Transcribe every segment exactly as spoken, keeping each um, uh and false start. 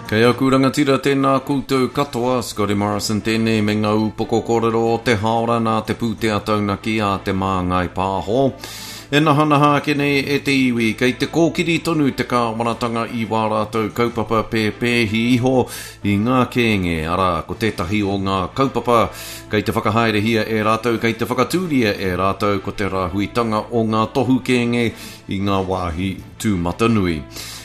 Kei aku rangatira tēnā koutou katoa, Scotty Morrison tēnei me ngā upoko kōrero o te haora nā te pūtea taunaki a Te Māngai Pāho. E nahanaha ake nei e te iwi, kei te kōkiri tonu te kāwanatanga i wā rātou kaupapa pēpēhi iho i ngā kēnge, arā, ko tētahi o ngā kaupapa kei te whakahaerehia e rātou, kei te whakatūria e rātou ko te rāhuitanga o ngā tohu kēnge i ngā wāhi tūmatanui.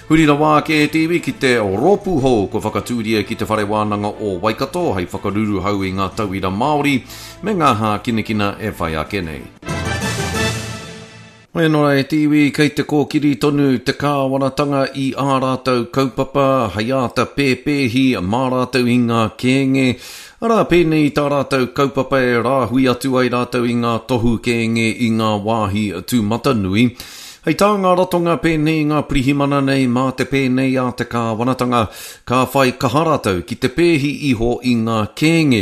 Huri rawa ake e te iwi ki te rōpū hou kua whakatūria ki te Whare Wānanga o Waikato hei whakaruruhau i ngā tauira Māori me ngā hākinakina e whai ake nei. Wēnora e te iwi, kei te kōkiri tonu te kāwanatanga i ā rātou kaupapa hei āta pēpēhi mā rātou i ngā kēnge, arā pēnei i tā rātou kaupapa e rāhui atu ai rātou i ngā tohu kēnge i ngā wāhi tūmatanui. Hei tā ngā ratonga pēnei i ngā pirihimana nei mā te pēnei a te kāwanatanga, ka whai kaha rātou ki te pēhi iho i ngā kēnge.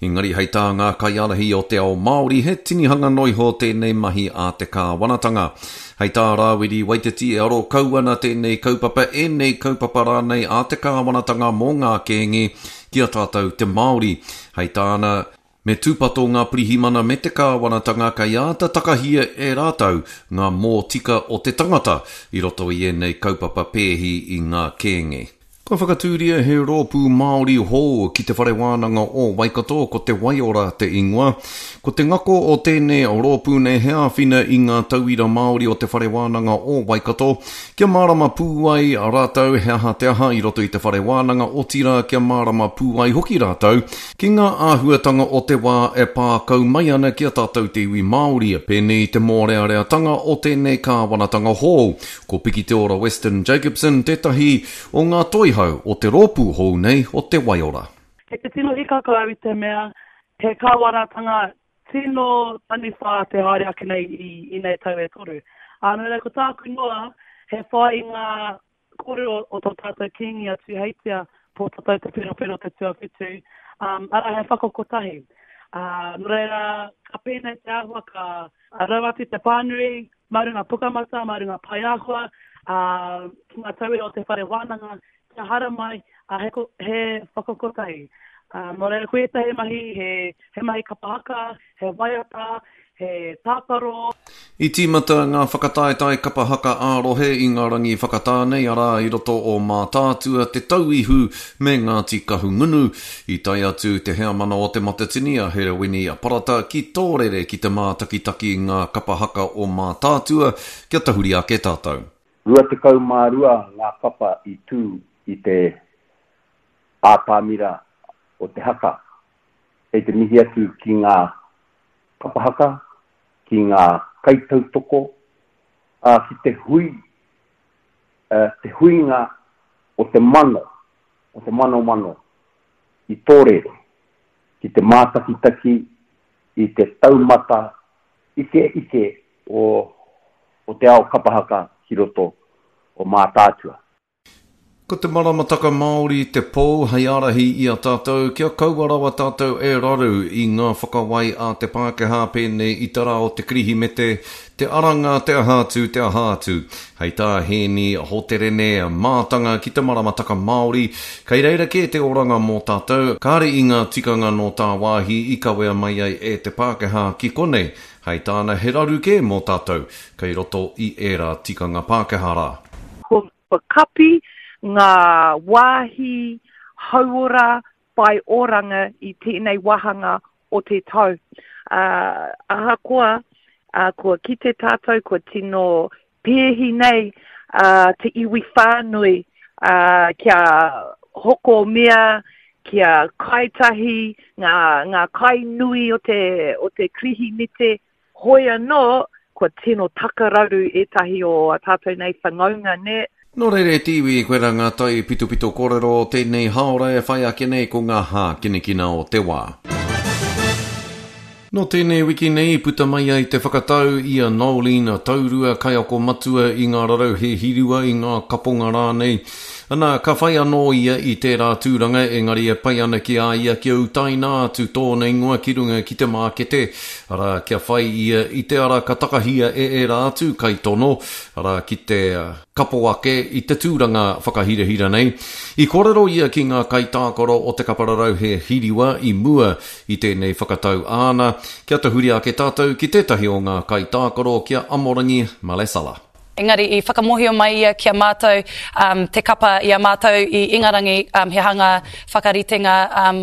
Engari hei tā ngā kaiārahi o te ao Māori he tinihanga noa iho tēnei mahi a te kāwanatanga. Hei tā Rāwiri Waititi e aro kau ana tēnei kaupapa, ēnei kaupapa rānei a te kāwanatanga mō ngā kēnge ki a tātou te Māori. Hei tāna, me tūpato ngā pirihimana me te kāwanatanga kei āta takahia e rātou ngā mōtika o te tangata i roto i ēnei kaupapa pēhi i ngā kēnge. Kua whakatūria he rōpū Māori hou ki te Whare Wānanga o Waikato, ko Te Waiora te ingoa. Ko te ngako o tēnei rōpū nei he āwhina i ngā tauira Māori o te Whare Wānanga o Waikato, kia mārama pū ai rātou he aha te aha i roto i te Whare Wānanga, otirā kia mārama pū ai hoki rātou ki ngā āhuatanga o te wā e pā kau mai ana ki a tātou te iwi Māori, pēnei i te mōreareatanga o tēnei kāwanatanga hou. Ko Pikiteora Weston Jacobson tētahi o ngā toihau o te rōpū hou nei o Te Waiora. Kei te tino hikaka au i te mea he kāwanatanga tino taniwha te haere ake nei i, i nei tau e toru. Ā, nō reira, ko tāku noa, he whai i ngā kōrero o tō tātou Kīngi a Tūheitia, Pōtatau Te Wherowhero Te Tuawhitu, um, arā he whakakotahi. Ā, nō reira, ka pēnei te āhua, ka rau atu te pānui, mā runga pukamata, mā runga paeāhua, ā, ki ngā tauira o te whare wānanga, kia haramai, ā, he, he whakakotahi. Ā, nō reira, ko ētahi mahi, he, he mahi kapa haka, he waiata, he tākaro. I tīmata ngā whakataetae kapa haka ā-rohe i ngā rangi whakatā nei, arā i roto o Mātaatua, Te Tauihu me Ngāti Kahungunu. I tae atu te heamana o Te Matatini a Herewini Parata ki Tōrere ki te mātakitaki ngā kapa haka o Mātaatua kia tahuri ake tātou. Rua tekau mā rua ngā kapa i tū i te ātamira o te haka. Kei te mihi atu ki ngā kapa haka, ki ngā kaitautoko, ā, ki te hui, te huinga o te mano, o te manomano i Tōrere, ki te mātakitaki i te taumata ikeike o, o te ao kapa haka ki roto o Mātaatua. Ko te maramataka Māori te pou hei ārahi i a tātou kia kaua rawa tātou e raru i ngā whakawai a te Pākehā pēnei i te rā o te Kirihimete, te aranga, te aha atu, te aha atu. Hei tā Hēni Hoterene, mātanga ki te maramataka Māori, kei reira kē te oranga mō tātou, kāre i ngā tikanga nō tāwāhi i kawea mai ai e te Pākehā ki konei. Hei tāna he raru kē mō tātou, kei roto i ērā tikanga Pākehā rā. Kua kapi ngā wāhi hauora whai oranga i tēnei wāhanga o te tau. Uh, ahakoa, uh, kua kite tātou, kua tino pēhi nei uh, te iwi whānui uh, kia hoko mea, kia kaitahi, ngā, ngā kai nui o te, o te Kirihimete, hoi anō, kua tino takararu ētahi o a tātou nei whanaunga, nē. Nō reira e te iwi, koirā ngā tai pitopito kōrero o tēnei hāora e whai ake nei ko ngā hākinakina o te wā. Nō tēnei wiki nei i puta mai ai te whakatau i a Noeline Taurua kaiako matua i ngā rarauhe hirua, i ngā kaponga rānei. Ana, ka whai anō ia i tērā tūranga, engari e pai ana ki a ia kia utaina atu tōna ingoa ki runga ki te mākete, arā, kia whai ia i te ara ka takahia e ērā atu kaitono, arā, ki te kapo ake i te tūranga whakahirahira nei. I kōrero ia ki ngā kaitākaro o te kapa rarauhe hiriwa i mua i tēnei whakatau āna, kia tahuri ake tātou ki tētahi o ngā kaitākaro ki a Amorangi Malesala. Engari i whakamohio mai ia ki a mātou um, te kapa i a mātou i Ingarangi um, he hanga whakaritenga um,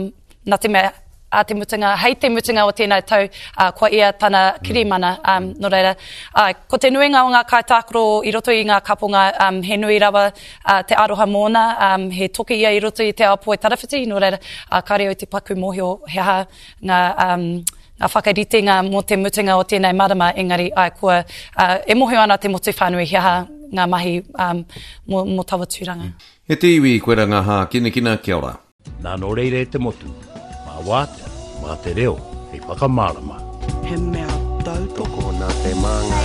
nā te mea a te mutunga, hei te mutunga o tēnei tau, uh, kua ia tana kirimana. Um, nō reira, uh, ko te nuinga o ngā kaitākaro i roto i ngā kaponga, um, he nui rawa uh, te aroha mōna, um, he toki ia i roto i te ao poitarawhiti, nō reira, uh, kāre au te paku mōhio he aha ngā, um, ngā whakaritenga mō te mutunga o tēnei marama, engari ai, kua, uh, e mōhio ana te motu whānui he aha ngā mahi um, mō, mō taua tūranga. E te iwi, koe rā ngā hākinakina, kia ora. Nā nō reira e te motu, mā wātea, mā te reo, hei whakamārama. He mea tautoko. Tokona te māngai.